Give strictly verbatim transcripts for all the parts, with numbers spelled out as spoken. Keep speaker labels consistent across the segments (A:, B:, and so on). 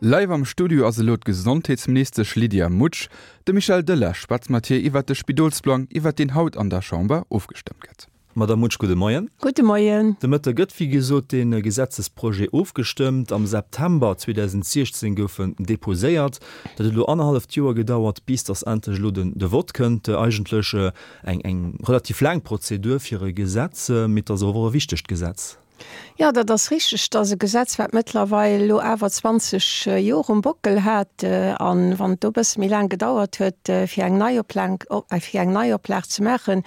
A: Live am Studio ass elo d'Gesondheetsministesch Lydia Mutsch. De Michel Delage schwätzt mat hir iwwer de Spidolsplang, iwwer deen haut an der Chamber ofgestëmmt gëtt.
B: Madame Mutsch, gudde Moien.
C: Gudde Moien.
B: De Mëtte gëtt wéi gesot de Gesetzesprojet ofgestëmmt. Am September zweedausendsiechzéng gouf en deposéiert. Dat huet elo annerhalleft Joer gedauert, bis datt endlech elo den de Vott kënnt. Eigentlech eng eng relativ laang Prozedur fir e Gesetz, mee et ass awer och e wichtegt Gesetz.
C: Jo, dat ass richteg. Dat ass e Gesetz, wat mëttlerweil elo awer zwanzeg Joer um Bockel hat. A wann et do e bësse méi laang gedauert huet, fir eng Neioplag, fir eng Neioplag ze maachen,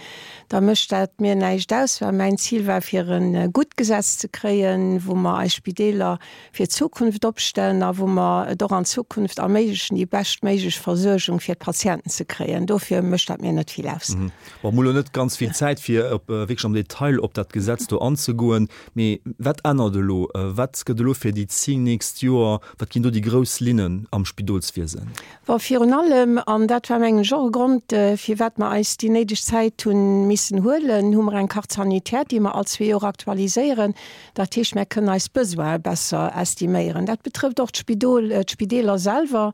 C: da mécht dat mir näischt aus, well mäin Zil war, fir e gutt Gesetz ze kréien, wou mer eis Spideeler fir d'Zukunft opstellen a wou mer et och an Zukunft erméiglechen, déi beschtméiglech Versuergung fir d'Patienten ze kréien. Dofir mécht dat mir net vill aus.
B: Bon, mir hu lo net ganz vill Zäit, fir op wierklech am Detail op dat Gesetz do anzegoen. Mee wat ännert elo? Wat gëtt elo fir déi zéng nächst Joer, wat ginn do déi grouss Linnen am Spidolswiesen?
C: Bon, virun allem, an dat war mengen ech och e Grond, firwat mer eis déi néideg Zäit hu missen huelen, hu mer eng Carte sanitaire, déi mer all zwee Joer aktualiséieren. Dat heescht, mer kënnen eis Besoine besser estiméieren. Dat betrëfft och d'Spidol, d'Spideeler selwer,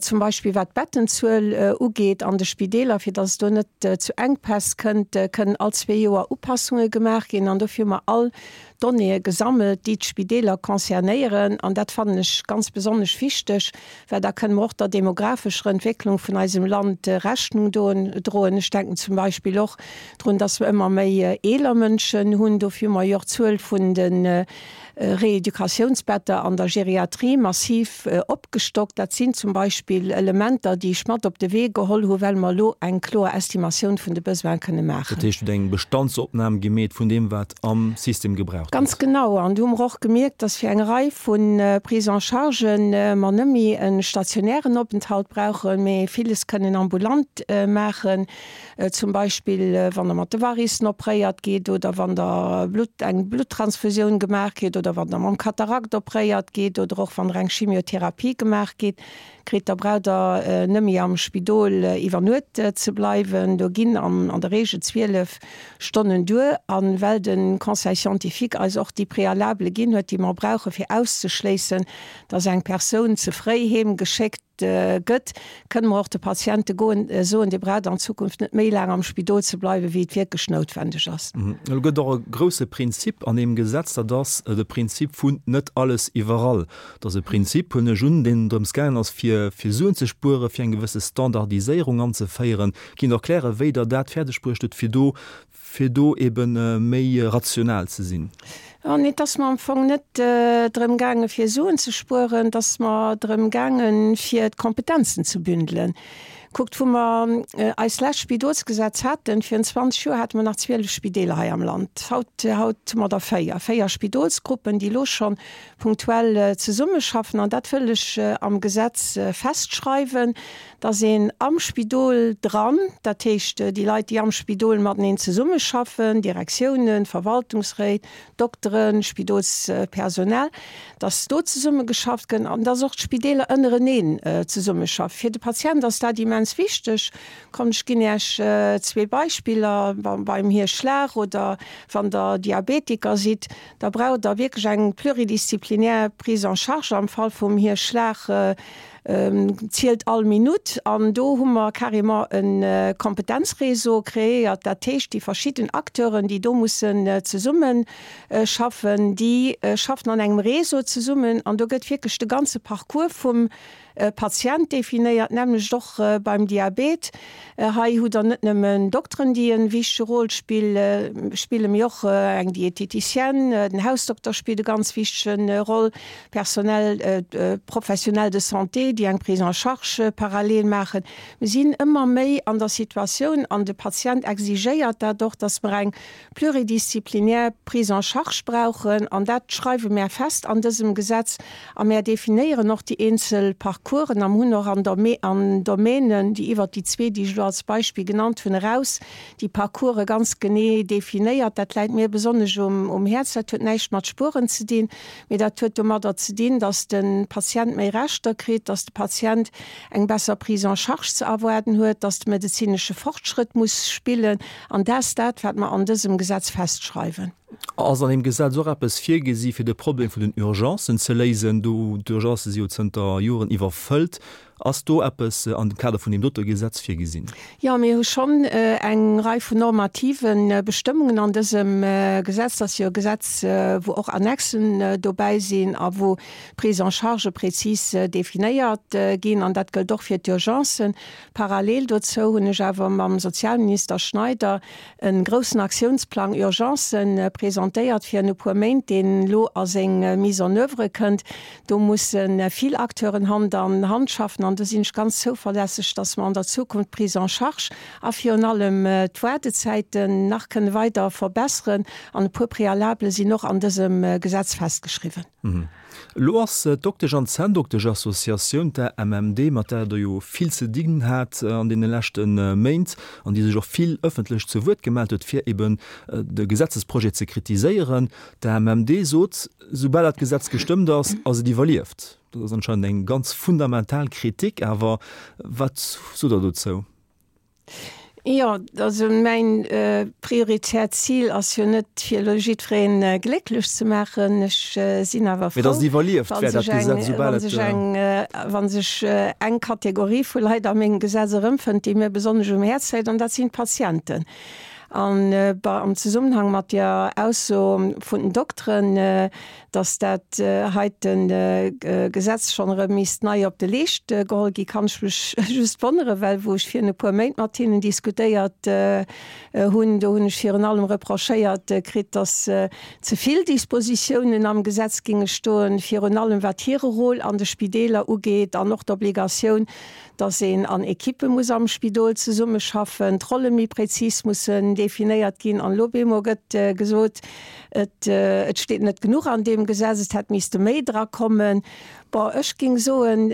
C: zum Beispill wat d'Bettenzuel ugeet an de Spideeler, fir datt et do net zu Enkpäss kënnt, kënnen all zwee Joer Upassunge gemaach ginn. An dofir hu mer all Donnéeë gesammelt, déi d'Spideeler concernéieren. An dat fannen ech ganz besonnesch wichteg, well da kënne mer och der demographescher Entwécklung vun eisem Land Rechnung droen. Ech denken zum Beispill och drun, dass mer ëmmer méi eeler Mënschen hunn. Dofir hu mer jo och d'Zuel vun de Reeducatiounsbetter an der Geriatrie massiv opgestockt. Dat sinn zum Beispill Elementer, déi ech mat op de Wee geholl hu well mer elo eng kloer Estimatioun vun de Besoine kënne maachen.
B: Dat heescht, Dir hutt eng Bestandsopnam gemeet vun deem, wat am System gebraucht gëtt?
C: Ganz genau. An do hu mer och gemierkt, dass fir eng Rei vu Prise-en-chargen mer net méi e stationären Openthalt brauchen, mee villes kënnen ambulant maachen. Zum Beispill wann Der mat de Varissen opréiert gitt oder wann Der Blutt, eng Bluttransfusioun gemaach kritt oder wann Der mam Katarakt opréiert gitt oder och wann Der eng Chimiotherapie gemaach gitt, kritt, da braucht Der net méi am Spidol iwwer Nuet ze bleiwen. Do ginn an der Reegel zwielef Stonnen duer. A well de Conseil scientifique eis och déi Prealabele ginn huet, déi mer brauche fir auszeschléissen, dass eng Persoun ze fréi heem geschéckt gëtt, kënne mer och de Patiente goen, soen, Dir braucht an Zukunft net méi laang am Spidol ze bleiwen, wéi et wierklech noutwendeg ass.
B: Elo gëtt och e grouse Prinzip an deem Gesetz, dat ass de Prinzip vun net alles iwwerall. Dat ass e Prinzip, huelen ech un, deen drëms gaangen ass, fir fir Suen ze spueren, fir eng gewësse Standardiséierung anzeféieren. Kinnt Der erklären, wéi Der dat fäerdegbruecht hutt, fir do fir do ebe méi rational ze sinn?
C: Oh nee, et ass mer am Fong net drëm gaange fir Suen ze spueren, et ass mer drëm gaange fir d'Kompetenzen ze bündelen. Kuckt, wou mer eist lescht Spidolsgesetz haten, virun zwanzeg Joer, hate mer nach zwielef Spideeler hei am Land. Haut, haut hu mer der véier, véier Spidolsgruppen, déi elo scho punktuell zesummeschaffen. An dat wëll ech am Gesetz festschreiwen, dass een am Spidol dran, dat heescht déi Leit, déi am Spidol mateneen zesummeschaffen, Direktiounen, Verwaltungsréit, Dokteren, Spidolspersonal, dass do zesummegeschafft gëtt an dass och d'Spideeler ënnereneen zesummeschaffen. Fir de Patient ass dat immens wichteg. Kommt, ech ginn Iech zwee Beispiller, Beim Hierschlag oder wann Der Diabetiker sidd, da braucht Der wierklech eng pluridisziplinär Prise en charge. Am Fall vum Hierschlag zielt all Minutt. An do hu mer carrément e Kompetenzréseau kreéiert. Dat heescht, déi verschidden Acteuren, déi do mussen zesummeschaffen, déi schaffen an engem Réseau zesummen. An do gëtt wierklech de ganze Parcours vum Patient definéiert, d'nämmlecht och beim Diabet. Hei hutt Der net nëmmen Dokteren, déi e wichtege Rôle spillen, mee och eng Diététicienne, den Hausdokter spillt e ganz wichtege Roll, Personnel, Professionnels de santé, déi eng Prise en charge parallel maachen. Mir sinn ëmmer méi an der Situatioun, an de Patient exigéiert dat och, dass mer eng pluridisziplinär Prise en charge brauchen. An dat schreiwe mär fest an dësem Gesetz. A mär definéieren och déi eenzel Parcoursen a hunn och an an Domänen, déi iwwert déi zwee, déi ech elo als Beispill genannt hunn, eraus déi Parcourse ganz genee definéiert. Dat läit mir besonnesch um Häerz. Dat huet näischt mat Spueren ze dinn, mee dat huet domadder ze dinn, dass de Patient méi Rechter kritt, dass de Patient eng besser Prise en charge ze erwaarden huet, dass de medezinesche Fortschrëtt muss spillen. An dat ass dat, wat mer an dësem Gesetz festschreiwen.
B: Ass an deem Gesetz och eppes virgesi fir de Problem vun den Urgencen ze léisen? Do, d'Urgencë si jo zënter Joren iwwerfëllt. Ass do eppes an dem Kader vun deem dote Gesetz virgesinn?
C: Jo, mir hu schonn eng Rei vun normative Bestëmmungen an dësem Gesetz. Dat ass jo e Gesetz, wou och Annexen dobäi sinn a wou d'Prise en charge prezis definéiert ginn. An dat gëllt och fir d'Urgencen. Parallel dozou hunn ech awer mam Sozialminister Schneider e groussen Aktiounsplang Urgencen presentéiert virun e puer Méint, deen elo a seng Mise en oeuvre kënnt. Do musse vill Acteuren Hand an Hand schaffen an do sinn ech ganz zouverlässeg, dass mer an der Zukunft d'Prise en charge a virun allem d'Waardezäiten nach kënne weider verbesseren. An e puer Préalabele sinn och an dësem Gesetz festgeschriwwen.
B: Elo ass d'Doktesch an Zänndoktesch-Associatioun, d'AMMD, mat där Der jo vill ze dinn hat an deene leschte Méint an déi sech och vill ëffentlech zu Wuert gemellt huet, fir eben de Gesetzesprojet ze kritiséieren. D'AMMD sot, soubal dat Gesetz gestëmmt ass, ass et iwwerlieft. Dat ass anscheinend eng ganz fundamental Kritik, awer wat sot Der dozou?
C: Jo, also mäin prioritäert Zil ass jo net, fir elo jiddweree glécklech ze maachen. Ech sinn awer
B: frou, wa sech eng,
C: wa sech eng, wa sech eng Kategorie vu Leit a mengem Gesetz erëmfënnt, déi mir besonnesch um Häerz läit, an dat sinn d'Patienten. An am Zesummenhang mat der Ausso vun den Dokteren, dass dat heite Gesetz schonn erëm misst nei op de Leescht geholl ginn, kann ech mech just wonneren, well wou ech virun e puer Méint mat hinnen diskutéiert hunn, do hunn ech virun allem reprochéiert kritt, dass ze vill Dispositiounen am Gesetz géinge stoen, virun allem wat hire Rôle an de Spideeler ugeet an och d'Obligatioun, dass een an Ekippe muss am Spidol zesummeschaffen, d'Rolle méi prezis mussen definéiert ginn. An elo bemol gëtt gesot, et et steet net genuch an deem Gesetz, et hätt misste méi drakommen. Bon, ech géing soen,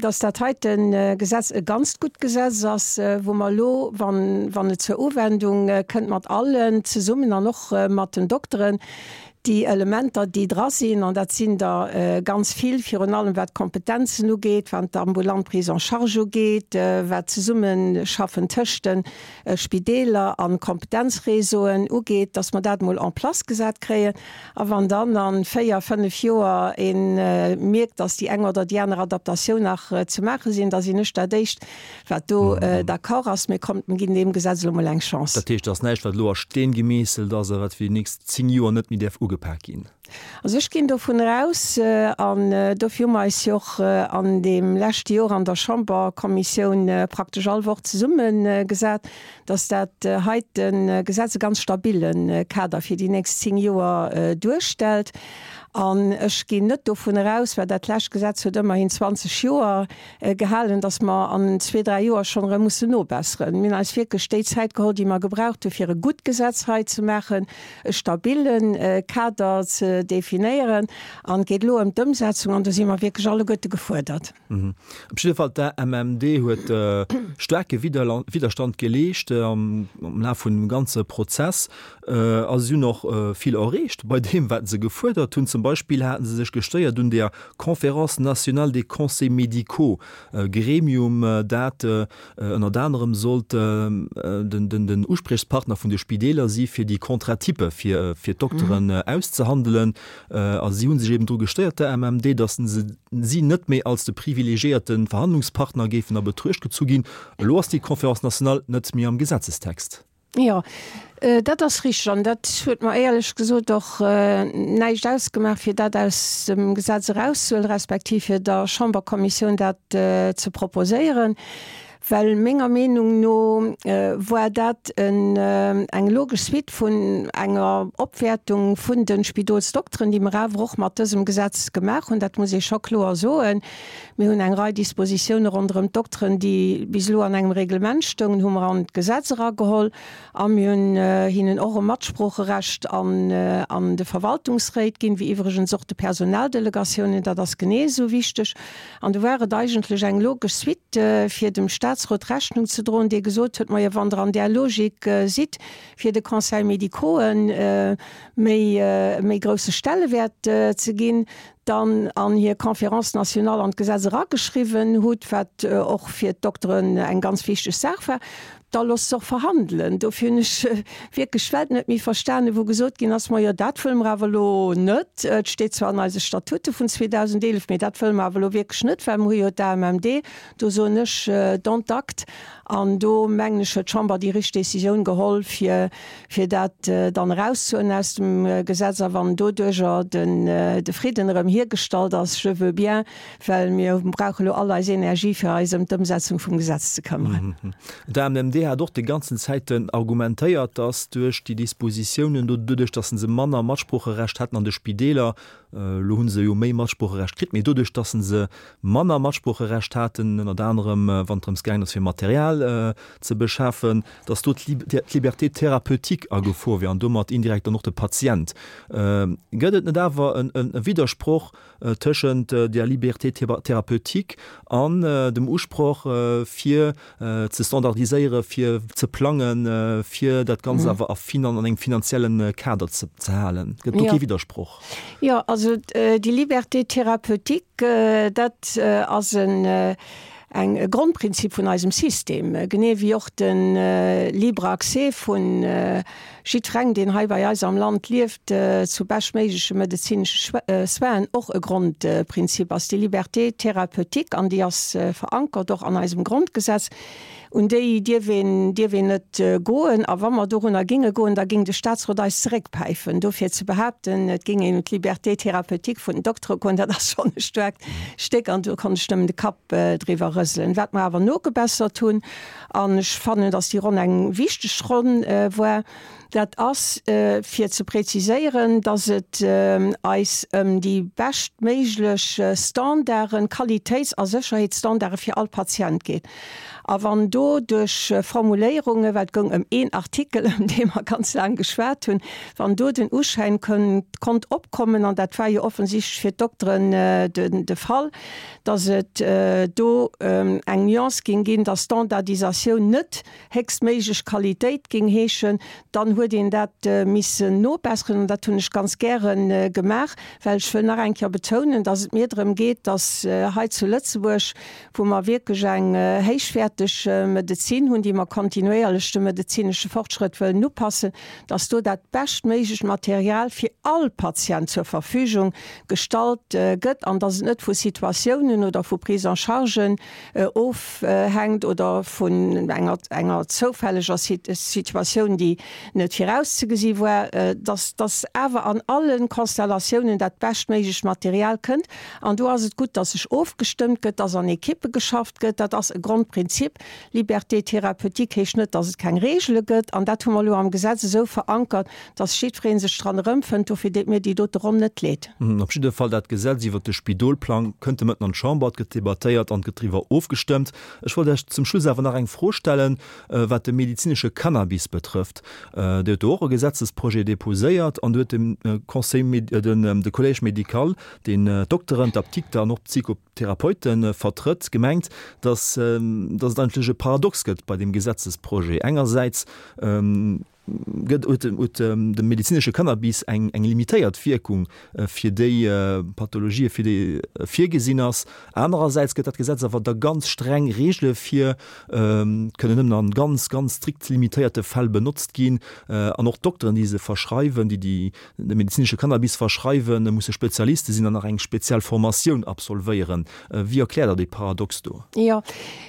C: dass dat heite Gesetz e ganzt gutt Gesetz ass, wou mer elo, wann wann et zur Uwendung kënnt, mat allen zesummen an och mat den Dokteren, Déi Elementer, déi dra sinn, an dat sinn der ganz vill, virun allem wat d'Kompetenzen ugeet, wat d'ambulant Prise en charge ugeet, wat d'Zesummeschaffen tëscht de Spideeler a Kompetenzréseauen ugeet, dass mer dat emol en place gesat kréien. A wann dann a véier, fënnef Joer ee mierkt, dass déi eng oder déi aner Adaptatioun nach ze maache sinn, da sinn ech dat Éischt, wat do d'accord ass. Mee kommt, mir ginn deem Gesetz elo emol eng Chance.
B: Dat heescht, et ass näischt, wat elo a Steen gemeesselt ass a wat fir déi nächst zéng Joer net méi däerf ugepak ginn.
C: Also ech ginn dovunner aus, an dofir hu mer eis jo och an deem leschte Joer an der Chamberkommissioun praktesch all Woch zesummegesat, dass dat heite Gesetz e ganz stabille Kader fir déi nächst zéng Joer duerstellt. An ech ginn net dovunner aus, well dat lescht Gesetz huet ëmmerhin zwanzeg Joer gehalen, dass mer an zwee, dräi Joer schonn erëm mussen nobesseren. Mir hunn eis wierklech déi Zäit geholl, déi mer gebraucht hunn, fir e gutt Gesetz hei ze maachen, e stabille Kader ze definéieren. An et geet elo ëm d'Ëmsetzung, an do si mer wierklech alleguerte gefuerdert.
B: Op jidde Fall, d'AMMD huet staarke Widderstand geleescht am Laf vun dem ganze Prozess. A si hunn och vill erreecht bei deem, wat se gefuerdert hunn. Zum Beispill hate se sech gestéiert un der Conférence nationale des conseils médicaux, e Gremium, dat ënnert anerem sollt den Uspriechspartner vun de Spideeler si fir déi Contrat-type fir d'Dokteren auszehandelen. A si hu sech eben dru gestéiert, der AMMD, datt si net méi als de privilegiéierte Verhandlungspartner géifen a Betruecht gezu ginn. Elo ass déi Conférence nationale net méi am Gesetzestext.
C: Jo, dat ass richteg. An dat huet mer éierlech gesot och näischt ausgemaach, fir dat aus dem Gesetz erauszehuelen, respektiv fir der Chamberkommissioun dat ze proposéieren, well menger Meenung no war dat eng logesch Suite vun enger Opwäertung vun de Spidolsdokteren, déi mer awer och mat dësem Gesetz gemaach hunn. Dat muss ee scho kloer soen. Mir hunn eng Rei Dispositioune ronderëm d'Dokteren, déi bis elo an engem Reglement stoungen, hu mer an d'Gesetz erageholl. A mir hunn hinnen och e Matsproocherecht an de Verwaltungsréit ginn, wéi iwwregens och de Personaldelegatiounen. Dat ass genee esou wichteg. An do war et eigentlech eng logesch Suite, fir dem Statsrot Rechnung ze droen, dee gesot huet, Majo, wann Der an där Logik sidd, fir de Conseil médicauxen méi, méi grousse Stellewäert ze ginn, dann an hir Conférence nationale an d'Gesetz erageschriwwen hutt, wat och fir d'Dokteren eng ganz wichteg Saach war, da loosst se och verhandelen. Dofir hunn ech wierklech d'Welt net méi verstanen, wou gesot ginn ass, Majo, dat wëlle mer awer elo net. Et steet zwar an eise Statute vun zweedausendeelef mee dat wëlle mer awer elo wierklech net, well mer hu jo d'AMMD. Do soen ech, Dont acte. An do, mengen ech, huet d'Chamber déi richteg Décisioun geholl, fir, fir dat dann erauszehuelen aus dem Gesetz. A wann doduerjer den, de Fridden erëm hiergestallt ass, je veux bien, well mir brauche elo all eis Energie, fir eis ëm d'Ëmsetzung vum Gesetz ze këmmeren.
B: D'AMMD hat och déi ganzen Zäiten argumentéiert, dass duerch déi Dispositiounen do, doduerch dass se manner Matsproocherecht hätten an de Spideeler, elo hu se jo méi Matsproocherecht kritt, mee doduerch dass se manner Matsproocherecht haten, ënnert anerem wann et drëms gaangen ass fir Material ze beschafen, dass do d'Liberté thérapeutique a Gefor wier an domat indirekt dann och de Patient. Gëtt et net awer e Widdersproch tëschent der Liberté thérapeutique an dem Usproch fir ze standardiséieren, fir ze plangen, fir dat Ganzt awer a an engem finanziellen Kader ze halen? Gëtt do kee Widdersproch?
C: Jo, also déi Liberté thérapeutique, dat ass en eng e Grondprinzip vun eisem System, genee wéi och de libre Accès vu jiddwerengem, deen hei bei eis am Land lieft, zu beschtméigleche medezinesche Soinen och e Grondprinzip ass. Déi Liberté thérapeutique, an déi ass verankert och an eisem Grondgesetz, un déi dierf een, dierf een net goen. A wa mer dorunner géinge goen, da géing de Statsrot eis zeréckpäifen. Dofir ze behaapten, et géing een un d'Liberté thérapeutique vun den Doktere goen, dat ass schonn e staarkt Stéck an do konnt ech nëmmen de Kapp driwwer rëselen. Wat mer awer nogebessert hunn, an ech fannen, datt déi Ronn eng wichteg Ronn war, dat ass, fir ze präziséieren, datt et eis ëm déi beschtméiglech Standarden, Qualitéits a Sécherheetsstandarde fir all Patient geet. A wann do duerch Formuléierungen, well et goung ëm een Artikel, ëm dee mer ganz laang geschwat hunn, wann do den Uschäin konnt opkommen, an dat war jo offensichtlech fir d'Dokteren de Fall, datt et do eng Nuance géing ginn, datt Standardisatioun net héchstméiglech Qualitéit géing heeschen, dann huet een dat missen nobesseren. An dat hunn ech ganz gäre gemaach, well ech wëll nach eng Kéier betounen, datt et mir drëm geet, datt hei zu Lëtzebuerg, wou mer wierklech eng héichwäerteg Medezin hunn, déi mer kontinuéierlech dem medezinesche Fortschrëtt wëllen upassen, dass do dat beschtméiglecht Material fir all Patient zur Verfügung gestallt gëtt an dass et net vu Situatiounen oder vu Prise-en-chargen ofhänkt oder vun enger, enger zoufälleger Situatioun, déi net virauszegesi war, dass, dass awer an allen Konstellatiounen dat beschtméiglecht Material kënnt. An do ass et gutt, dass sech ofgestëmmt gëtt, dass an Ekippe geschafft gëtt. Dat ass e Grondprinzip. Liberté thérapeutique heescht net, dass et keng Reegele gëtt. An dat hu mer elo am Gesetz esou verankert, dass jiddweree sech dran erëmfënnt. Dofir deet mir déi dote Ronn net leed.
B: Op jidde Fall, dat Gesetz iwwert de Spidolplang kënnt de Mëtten an d'Chamber. Et gëtt debattéiert an et gëtt driwwer ofgestëmmt. Ech wollt Iech zum Schluss awer nach eng Fro stellen, wat de medezinesche Cannabis betrëfft. Dir hutt do och e Gesetzesprojet deposéiert an do huet de Conseil, de Collège médical, deen d'Dokteren, d'Apdikter an och d'Psychotherapeute vertrëtt, gemengt, dass dass et eigentlech e Paradox gëtt bei deem Gesetzesprojet. Engersäits gëtt huet huet de medezinesche Cannabis eng eng limitéiert Wierkung fir déi Pathologië fir déi e virgesinn ass. Anerersäits gëtt dat Gesetz awer da ganz streng Reegele vir, kënnen nëmmen an ganz ganz strikt limitéierte Fäll benotzt ginn an och d'Dokteren déi se verschreiwen, déi déi de medezinesche Cannabis verschreiwen, musse Spezialiste sinn an nach eng speziell Formatioun absolvéieren. Wéi erkläert Der dee Paradox do?
C: Jo,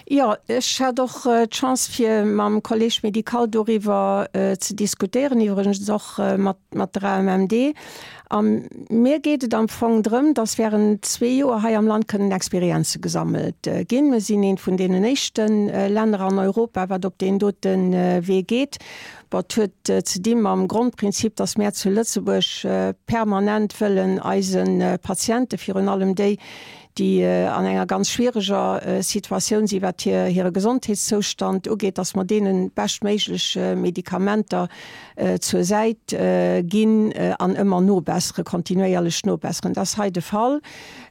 C: jo, ech hat och d'Chance fir mam Collège médical doriwwer ze diskutéieren, iwwregens och mat mat der A M M D. A mir geet et am Fong drëm, dass während zwee Joer hei am Land kënnen Experienze gesammelt ginn. Mir sinn eent vun deenen éischte Länner an Europa, wat op deen dote Wee geet. Bon, et huet ze di mam Grondprinzip, dass mär zu Lëtzebuerg permanent wëllen eise Patiente, virun allem déi, déi an enger ganz schwiereger Situatioun si wat hire Gesondheetszoustand ugeet, dass mer deene beschtméiglech Medikamenter zur Säit ginn an ëmmer nobesseren, kontinuéierlech nobesseren. Dat ass hei de Fall.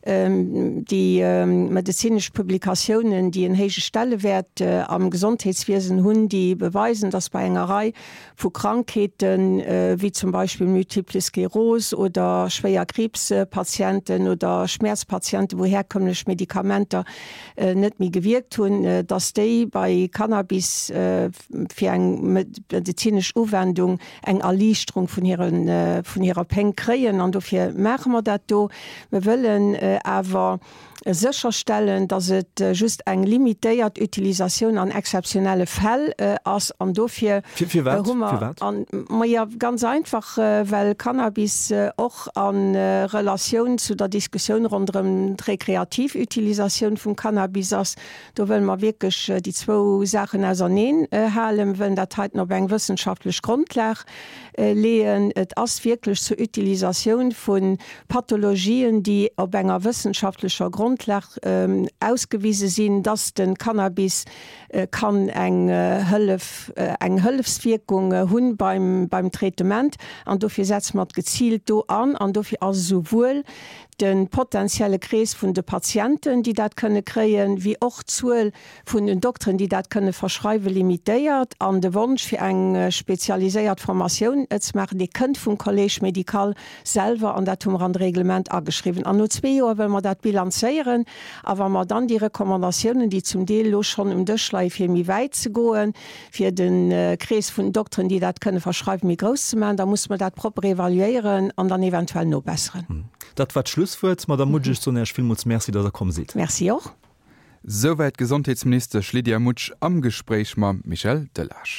C: Déi medezinesch Publikatiounen, déi en héije Stellewäert am Gesondheetswiesen hunn, déi beweisen, dass bei enger Rei vu Krankheeten, wéi zum Beispill Multiple Sklerose oder schwéier Kriibspatienten oder Schmäerzpatienten, wou herkömmlech Medikamenter net méi gewierkt hunn, dass déi bei Cannabis fir eng medezinesch Uwendung eng Erliichterung vun hirer Péng kréien. An dofir maache mer dat do. Mir wëllen awer sécherstellen, dass et just eng limitéiert Utilisatioun an exzeptionelle Fäll ass. An dofir hu mer, majo, ganz einfach, well Cannabis och a Relatioun zu der Diskussioun ronderëm d'rekreativ Utilisatioun vum Cannabis ass. Do wëlle mer wierklech déi zwou Saachen auserneen halen. Mir wëllen dat heiten op eng wëssenschaftlech Grondlag leeën. Et ass wierklech zur Utilisatioun vu Pathologien, déi op enger wëssenschaftlecher Grondlag ausgewise sinn, dass de Cannabis kann eng Hëllef, eng Hëllefswierkung hunn beim, beim Traitement. An dofir setze mer et geziilt do an. An dofir ass esouwuel de potenzielle Krees vun de Patienten, déi dat kënne kréien, wéi och d'Zuel vun den Dokteren, déi dat kënne verschreiwen, limitéiert. An de Wonsch, fir eng spezialiséiert Formatioun ze maachen, dee kënnt vum Collège médical selwer, an dat hu mer an de Reglement ageschriwwen. An no zwee Joer wëlle mer dat bilanzéieren. A wa mer dann déi Recommandatiounen, déi zum Deel elo schonn um Dësch leien, fir méi wäit ze goen, fir de Krees vun den Dokteren, déi dat kënne verschreiwen, méi grouss ze maachen, da musse mer dat propper evaluéieren an dann eventuell nobesseren.
B: Dat war d'Schlusswuert. Madamm Mutsch, ech soen Iech villmools Merci, datt Der komm sidd.
C: Merci och.
A: Souwäit d'Gesondheetsministesch Lydia Mutsch am Gespréich mam Michel Delage.